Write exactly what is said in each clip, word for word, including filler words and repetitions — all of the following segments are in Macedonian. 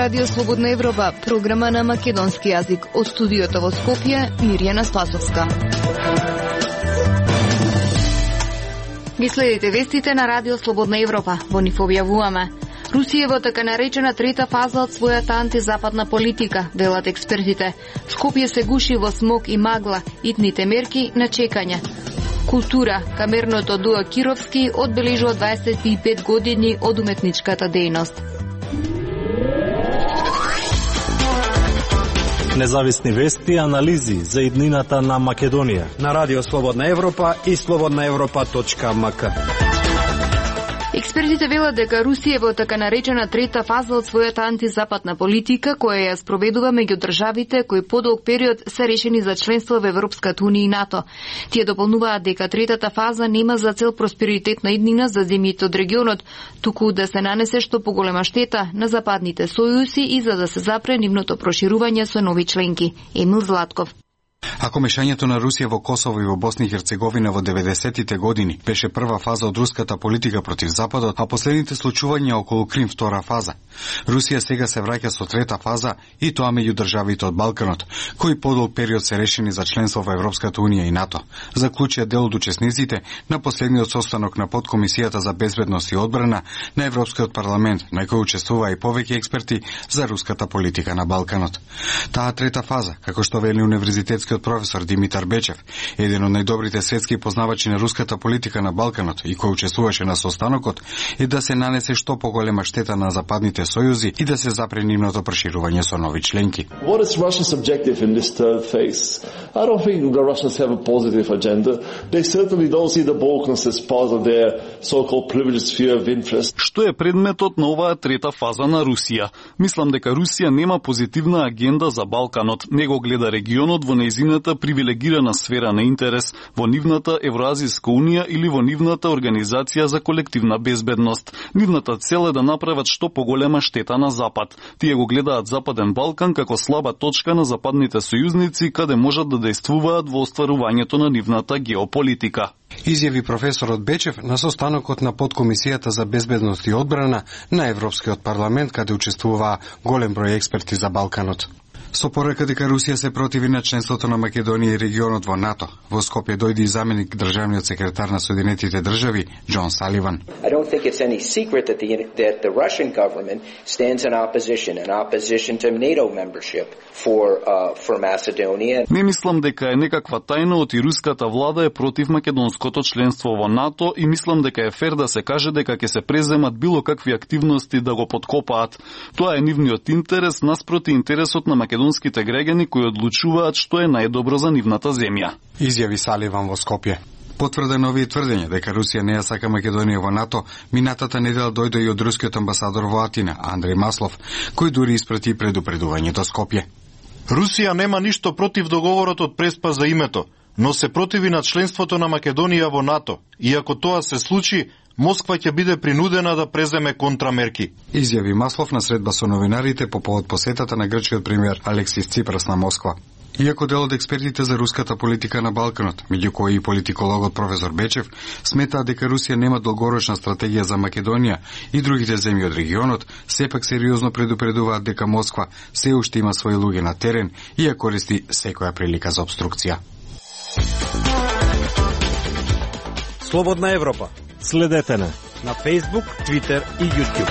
Радио Слободна Европа, програма на македонски јазик. Од студиото во Скопје, Мирјана Спасовска. Ги следите вестите на Радио Слободна Европа. Во нив објавуваме: Русија во така наречена трета фаза од својата антизападна политика, велат експертите. Скопје се гуши во смог и магла, итните мерки на чекање. Култура. Камерното дуо Кировски одбележува дваесет и пет години од уметничката дејност. Независни вести и анализи за иднината на Македонија на Радио Слободна Европа и слободна европа точка ем ка. Експертите велат дека Русија во така наречена трета фаза од својата антизападна политика, која ја спроведува меѓу државите кои подолг период се решени за членство во Европската унија и НАТО. Тие дополнуваат дека третата фаза нема за цел просперитет на иднина за земјите од регионот, туку да се нанесе што поголема штета на западните сојузи и за да се запре нивното проширување со нови членки. Емил Златков. Ако мешањето на Русија во Косово и во Босна и Херцеговина во деветдесетите години беше прва фаза од руската политика против Западот, а последните случувања околу Крим втора фаза, Русија сега се враќа со трета фаза и тоа меѓу државите од Балканот, кои подолг период се решени за членство во Европската унија и НАТО, заклучија дел од учесниците на последниот состанок на подкомисијата за безбедност и одбрана на Европскиот парламент, на кој учествуваа и повеќе експерти за руската политика на Балканот. Таа трета фаза, како што вели универзитетски професор Димитар Бечев, еден од најдобрите светски познавачи на руската политика на Балканот и кој учествуваше на состанокот, е да се нанесе што поголема штета на западните сојузи и да се запре нивното проширување со нови членки. What is Russia's objective in this third phase? I don't think the Russians have a positive agenda. They certainly don't see the Balkans as part of their so-called privileged sphere of interest. Што е предметот на оваа трета фаза на Русија? Мислам дека Русија нема позитивна агенда за Балканот, него гледа регионот во нејзината привилегирана сфера на интерес, во нивната Евроазијска унија или во нивната Организација за колективна безбедност. Нивната цел е да направат што поголема штета на Запад. Тие го гледаат Западен Балкан како слаба точка на западните сојузници, каде можат да дејствуваат во остварувањето на нивната геополитика. Изјави професорот Бечев на состанокот на подкомисијата за безбедност и одбрана на Европскиот парламент, каде учествуваа голем број експерти за Балканот. Со порека дека Русија се противи на членството на Македонија и регионот во НАТО, во Скопје дојде и заменик државниот секретар на Соединетите држави Џон Саливан. I don't think it's any secret that the that the Russian government stands in opposition in opposition to NATO membership for uh, for Macedonia. Не мислам дека е некаква тајна од и руската влада е против македонското членство во НАТО и мислам дека е фер да се каже дека ќе се преземат било какви активности да го подкопаат. Тоа е нивниот интерес наспроти интересот на македонските македонските граѓани кои одлучуваат што е најдобро за нивната земја. Изјави Саливан во Скопје. Потврдено овие тврдења дека Русија не ја сака Македонија во НАТО, минатата недела дојде и од рускиот амбасадор во Атина, Андреј Маслов, кој дури испрати предупредување до Скопје. Русија нема ништо против договорот од Преспа за името, но се противи на членството на Македонија во НАТО. И ако тоа се случи, Москва ќе биде принудена да преземе контрамерки. Изјави Маслов на средба со новинарите по повод посетата на грчкиот премиер Алексис Ципрас на Москва. Иако дел од експертите за руската политика на Балканот, меѓу кои и политикологот професор Бечев, сметаат дека Русија нема долгорочна стратегија за Македонија и другите земји од регионот, сепак сериозно предупредуваат дека Москва се уште има своји луѓе на терен и ја користи секоја прилика за обструкција. Слободна Европа. Следете на на Facebook, Twitter и YouTube.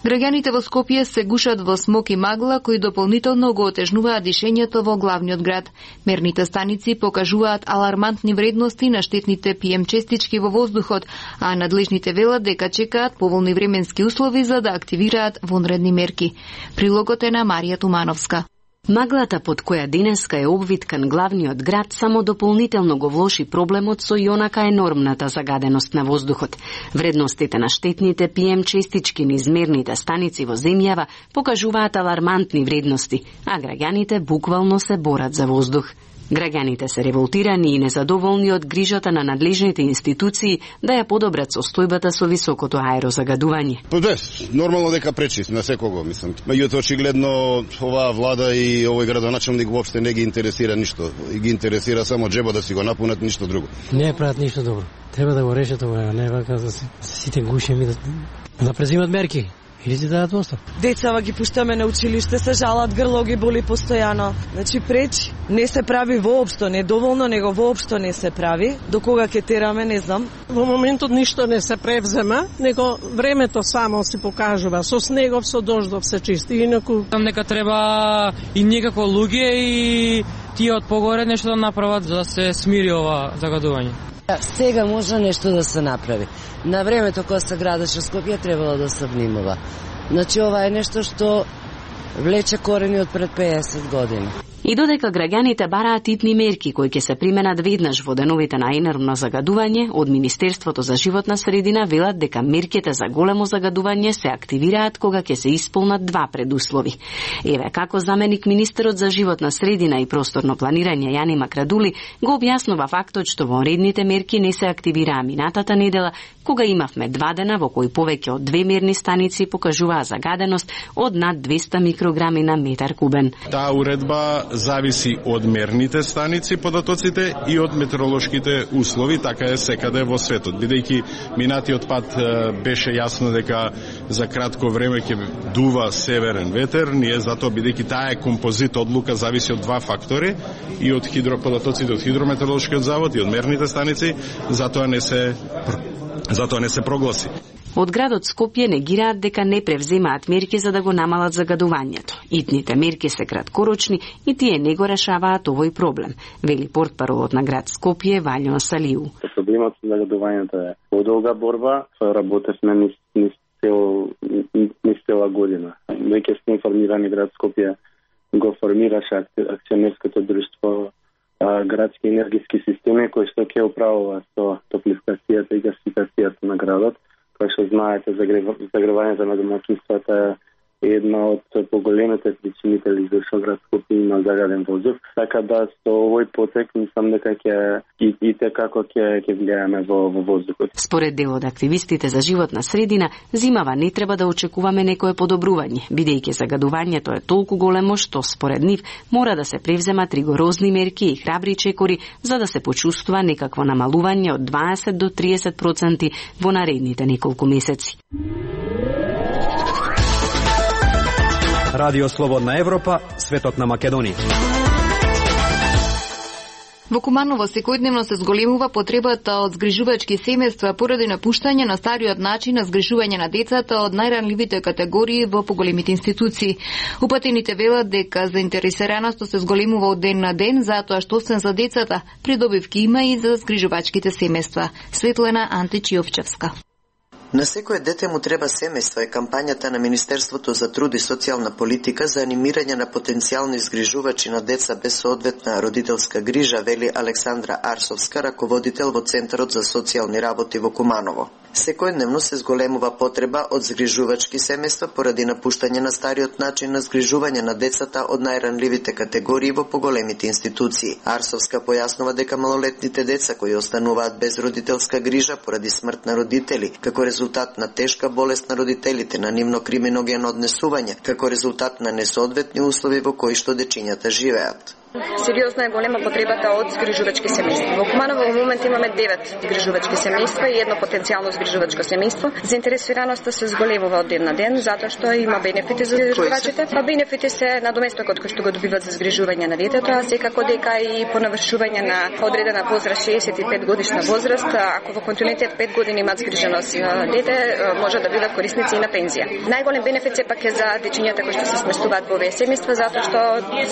Граѓаните во Скопје се гушат во смог и магла, кои дополнително го отежнуваат дишењето во главниот град. Мерните станици покажуваат алармантни вредности на штетните пи ем честички во воздухот, а надлежните велат дека чекаат поволни временски услови за да активираат вонредни мерки. Прилогот е на Марија Тумановска. Маглата под која денеска е обвиткан главниот град само дополнително го влоши проблемот со и онака енормната загаденост на воздухот. Вредностите на штетните пи ем честички низ мерните станици во земјава покажуваат алармантни вредности, а граѓаните буквално се борат за воздух. Граѓаните се револтирани и незадоволни од грижата на надлежните институции да ја подобрат состојбата со високото аерозагадување. Па да, нормално дека пречи на секого, мислам. Меѓутоа очигледно оваа влада и овој градоначелник воопште не ги интересира ништо. Ги интересира само джеба да си го напунат, ништо друго. Не прават ништо добро. Треба да го решат ова, не вака да сите гушеми да да презимат мерки. Или ти дадат остав. Децава ги пуштаме на училиште, се жалат, грло ги боли постојано. Значи пречи. Не се прави воопшто, не доволно, него воопшто не се прави. До кога ќе тераме, не знам. Во моментот ништо не се превзема, него времето само си покажува. Со снегов, со дождов се чисти. Инаку нека треба и некако луѓе и тие од погоре нешто да направат за да се смири ова загадување. Сега може нешто да се направи. На времето кога се градеше Скопје требало да се внимава. Значи ова е нешто што влече корени од пред пеесет години. И додека граѓаните бараат итни мерки кои ќе се применат веднаш во деновите на енормно загадување, од Министерството за животна средина велат дека мерките за големо загадување се активираат кога ќе се исполнат два предуслови. Еве како заменик министерот за животна средина и просторно планирање Јани Макрадули го објаснува фактот што вонредните мерки не се активираа минатата недела, кога имавме два дена во кои повеќе од две мерни станици покажуваа загаденост од над двесте микрограми на метар кубен. Таа уредба зависи од мерните станици, податоците и од метеоролошките услови, така е секаде во светот. Бидејќи минатиот пат беше јасно дека за кратко време ќе дува северен ветер, ние затоа бидејќи таа е композит одлука зависи од два фактори и од хидроподатоците од хидрометеоролошкиот завод и од мерните станици, затоа не се затоа не се прогласи. Од градот Скопје негираат дека не превземаат мерки за да го намалат загадувањето. Итните мерки се краткорочни и тие не го решаваат овој проблем, вели портпаролот на град Скопје Валјо Салиу. Проблемот со загадувањето е подолга борба, работевме низ низ цел низ цела година. Веќе сме информирани, град Скопје го формираше акционерското друштво градски енергиски системи кои што ќе управува со топлификацијата и гасификацијата на градот. Кој што знаете, загревањето на домаќинствата е една од поголемите причинители зашто град Скопје има загаден воздух. Така да со овој потек мислам дека ќе и, и така ќе ќе влијаме во, во воздухот. Според дел од активистите за животна средина, зимава не треба да очекуваме некое подобрување, бидејќи загадувањето е толку големо што според нив мора да се превземат ригорозни мерки и храбри чекори за да се почувствува некакво намалување од дваесет до триесет проценти во наредните неколку месеци. Радио Слободна Европа, светот на Македонија. Во Куманово секојдневно се зголемува потребата од згрижувачки семејства поради напуштање на стариот начин на згрижување на децата од најранливите категории во поголемите институции. Упатените велат дека заинтересираноста се зголемува од ден на ден, затоа што освен за децата, придобивки има и за згрижувачките семејства. Светлена Античиовчевска. На секое дете му треба семејство е кампањата на Министерството за труд и социјална политика за анимирање на потенцијални згрижувачи на деца без соодветна родителска грижа, вели Александра Арсовска, раководител во Центарот за социјални работи во Куманово. Секојдневно се зголемува потреба од згрижувачки семејства поради напуштање на стариот начин на згрижување на децата од најранливите категории во поголемите институции. Арсовска појаснува дека малолетните деца кои остануваат без родителска грижа поради смрт на родители, како резултат на тешка болест на родителите, на нивно криминогено однесување, како резултат на несоодветни услови во кои што дечињата живеат. Сериозна е голема потребата од згрижувачки семејства. Во Куманово во момент имаме девет згрижувачки семејства и едно потенцијално згрижувачко семејство. Заинтересираноста се зголемува од ден на ден затоа што има бенефити за згрижувачите. Па бенефити се надоместокот кој што го добиваат за згрижување на детето, а секако дека и по навршување на одредена возраст шеесет и пет годишна возраст, ако во континуитет пет години имаат згриженост дете, може да бидат корисници и на пензија. Најголем бенефит сепак е за дечињата кои што се сместуваат во овие семејства затоа што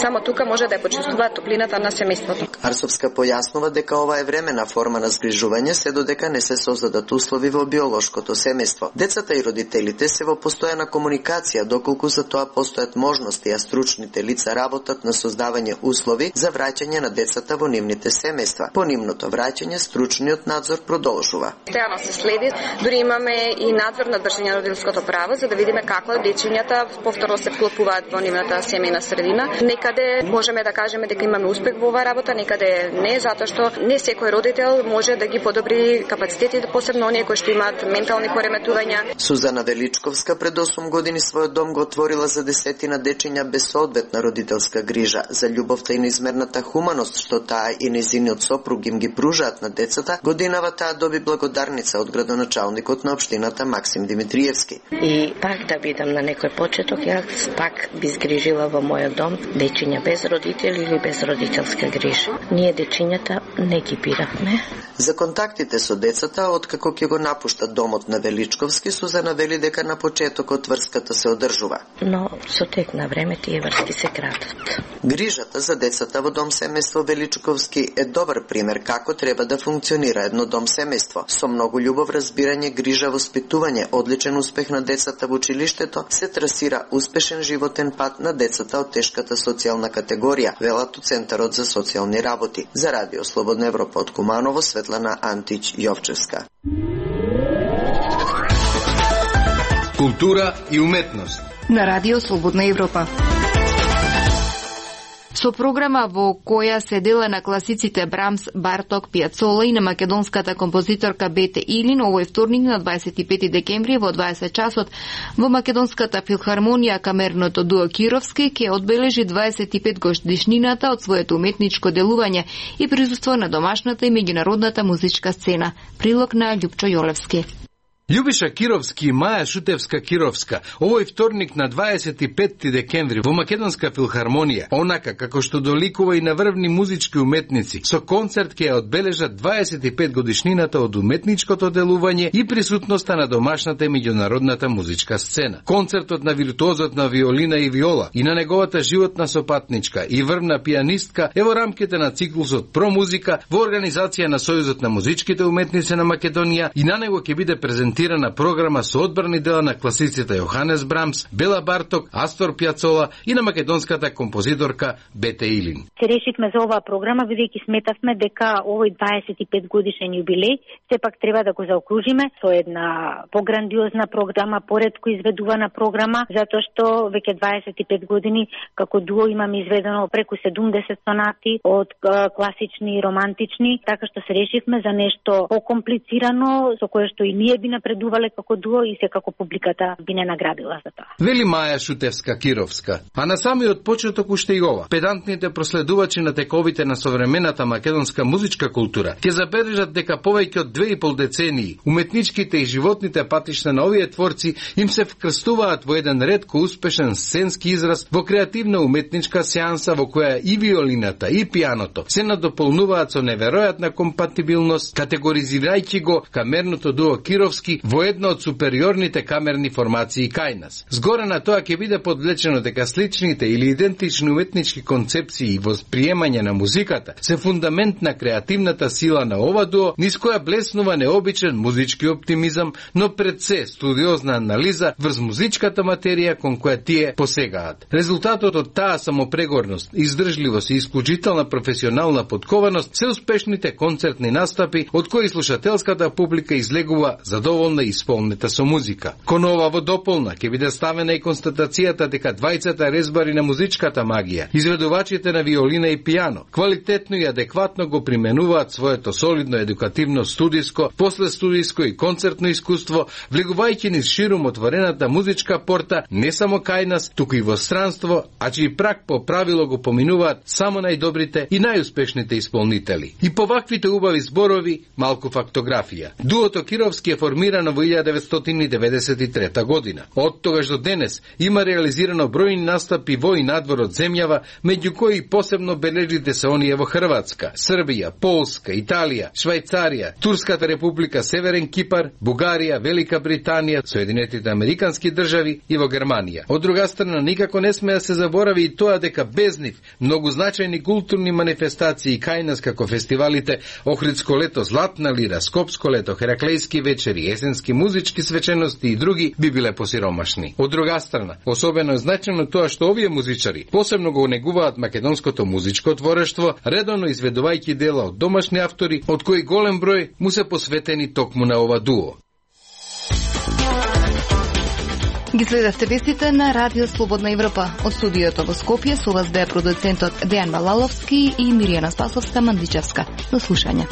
само тука може да ја топлината на семејството. Арсовска појаснува дека ова е времена форма на згрижување, се додека не се создадат услови во биолошкото семејство. Децата и родителите се во постојана комуникација, доколку за тоа постојат можности, а стручните лица работат на создавање услови за враќање на децата во нивните семејства. По нивното враќање, стручниот надзор продолжува. Постојано се следи, дури имаме и надзор на држање на родителското право, за да видиме како дечињата повторно се вклопуваат во нивната семејна средина. Некаде можеме да кажеме кажеме дека имаме успех во оваа работа, некаде не, затоа што не секој родител може да ги подобри капацитетите, посебно оние кои што имаат ментални пореметувања. Сузана Величковска пред осум години својот дом го отворила за десетина дечиња без соодветна родителска грижа. За љубовта и неизмерната хуманост што таа и нејзиниот сопруг им ги пружаат на децата, годинава таа доби благодарница од градоначалникот на општината Максим Димитриевски. И пак да бидам на некој почеток, јас пак би згрижила во мојот дом дечиња без родители или без родителска грижа. Ние дечињата не ги биравме. За контактите со децата, откако ќе го напушта домот на Величковски, Сузана вели дека на почетокот врската се одржува. Но со тек на време тие врски се кратат. Грижата за децата во дом семејство Величковски е добар пример како треба да функционира едно дом семејство. Со многу љубов, разбирање, грижа, воспитување, одличен успех на децата во училиштето, се трасира успешен животен пат на децата од тешката социјална категорија, велат од Центарот за социјални работи. За Радио Слободна Европа од Куманово, Светлана Антич Јовчевска. Култура и уметност на Радио Слободна Европа. Со програма во која се дела на класиците Брамс, Барток, Пијацола и на македонската композиторка Бете Илин, овој вторник на дваесет и пети декември во дваесет часот во Македонската филхармонија камерното дуо Кировски ќе одбележи дваесет и пет годишнината од своето уметничко делување и присуство на домашната и меѓународната музичка сцена. Прилог на Љупчо Јолевски. Љубиша Кировски и Маја Шутевска Кировска овој вторник на дваесет и пети декември во Македонска филхармонија, онака како што доликува и на врвни музички уметници, со концерт ќе ја одбележат дваесет и пет годишнината од уметничкото делување и присутноста на домашната и меѓународната музичка сцена. Концертот на виртуозот на виолина и виола и на неговата животна сопатничка и врвна пијанистка е во рамките на циклусот Про музика во организација на Сојузот на музичките уметници на Македонија и на него ќе биде презентирана програма со одбрани дела на класиците Јоханес Брамс, Бела Барток, Астор Пијацола и на македонската композиторка Бете Илин. Се решивме за оваа програма бидејќи сметавме дека овој дваесет и пет годишен јубилеј сепак треба да го заокружиме со една пограндиозна програма, поретко изведувана програма, затоа што веќе дваесет и пет години како дуо имаме изведено преку седумдесет сонати од класични и романтични, така што се решивме за нешто покомплицирано со кое што и ние би напредувале како дуо и секако публиката би не наградила за тоа. Вели Маја Шутевска Кировска. А на самиот почеток уште и ова. Педантните проследувачи на тековите на современата македонска музичка култура ќе забележат дека повеќе од две и пол децении уметничките и животните патишта на овие творци им се вкрстуваат во еден ретко успешен сценски израз во креативна уметничка сеанса во која и виолината и пијаното се надополнуваат со неверојатна компатибилност, категоризирајќи го камерното дуо Кировски во една од супериорните камерни формации кај нас. Згоре на тоа ќе биде подвлечено дека сличните или идентични уметнички концепции и восприемање на музиката се фундамент на креативната сила на ова дуо, низ која блеснува необичен музички оптимизам, но пред се студиозна анализа врз музичката материја кон која тие посегаат. Резултатот од таа самопрегорност, издржливост и исклучителна професионална подкованост се успешните концертни настапи од кои слушателската публика излегува задоволна и исполнета со музика. Кон ова во дополна ќе биде ставена и констатацијата дека двајцата резбари на музичката магија, изведувачите на виолина и пијано, квалитетно и адекватно го применуваат своето солидно едукативно студиско, после студиско и концертно искуство, влегувајќи низ ширум отворената музичка порта не само кај нас, туку и во странство, а чиј прак по правило го поминуваат само најдобрите и најуспешните исполнители. И по ваквите убави зборови, малку фактографија. Дуото Кировски е формирано во илјада деветстотини деветдесет и трета година. Од тогаш до денес има реализирано бројни настапи во и надвор од земјава, меѓу кои посебно бележите се оние во Хрватска, Србија, Полска, Италија, Швајцарија, Турската република, Северен Кипар, Бугарија, Велика Британија, Соединетите американски држави и во Германија. Од друга страна, никако не сме да се заборави и тоа дека без нив многу значајни културни манифестации кај нас како фестивалите Охридско лето, Златна лира, Скопско лето, Хераклејски вечери, есенски музички свечености и други би биле посиромашни. Од друга страна, особено е значено тоа што овие музичари посебно го негуваат македонското музичко творештво, редовно изведувајќи дела од домашни автори, од кои голем број му се посветени токму на ова дуо. Ги следевте вестите на Радио Слободна Европа. Од студиото во Скопје со вас беа продуцентот Дејан Балаловски и Миријана Спасовска-Мандичевска. До слушање.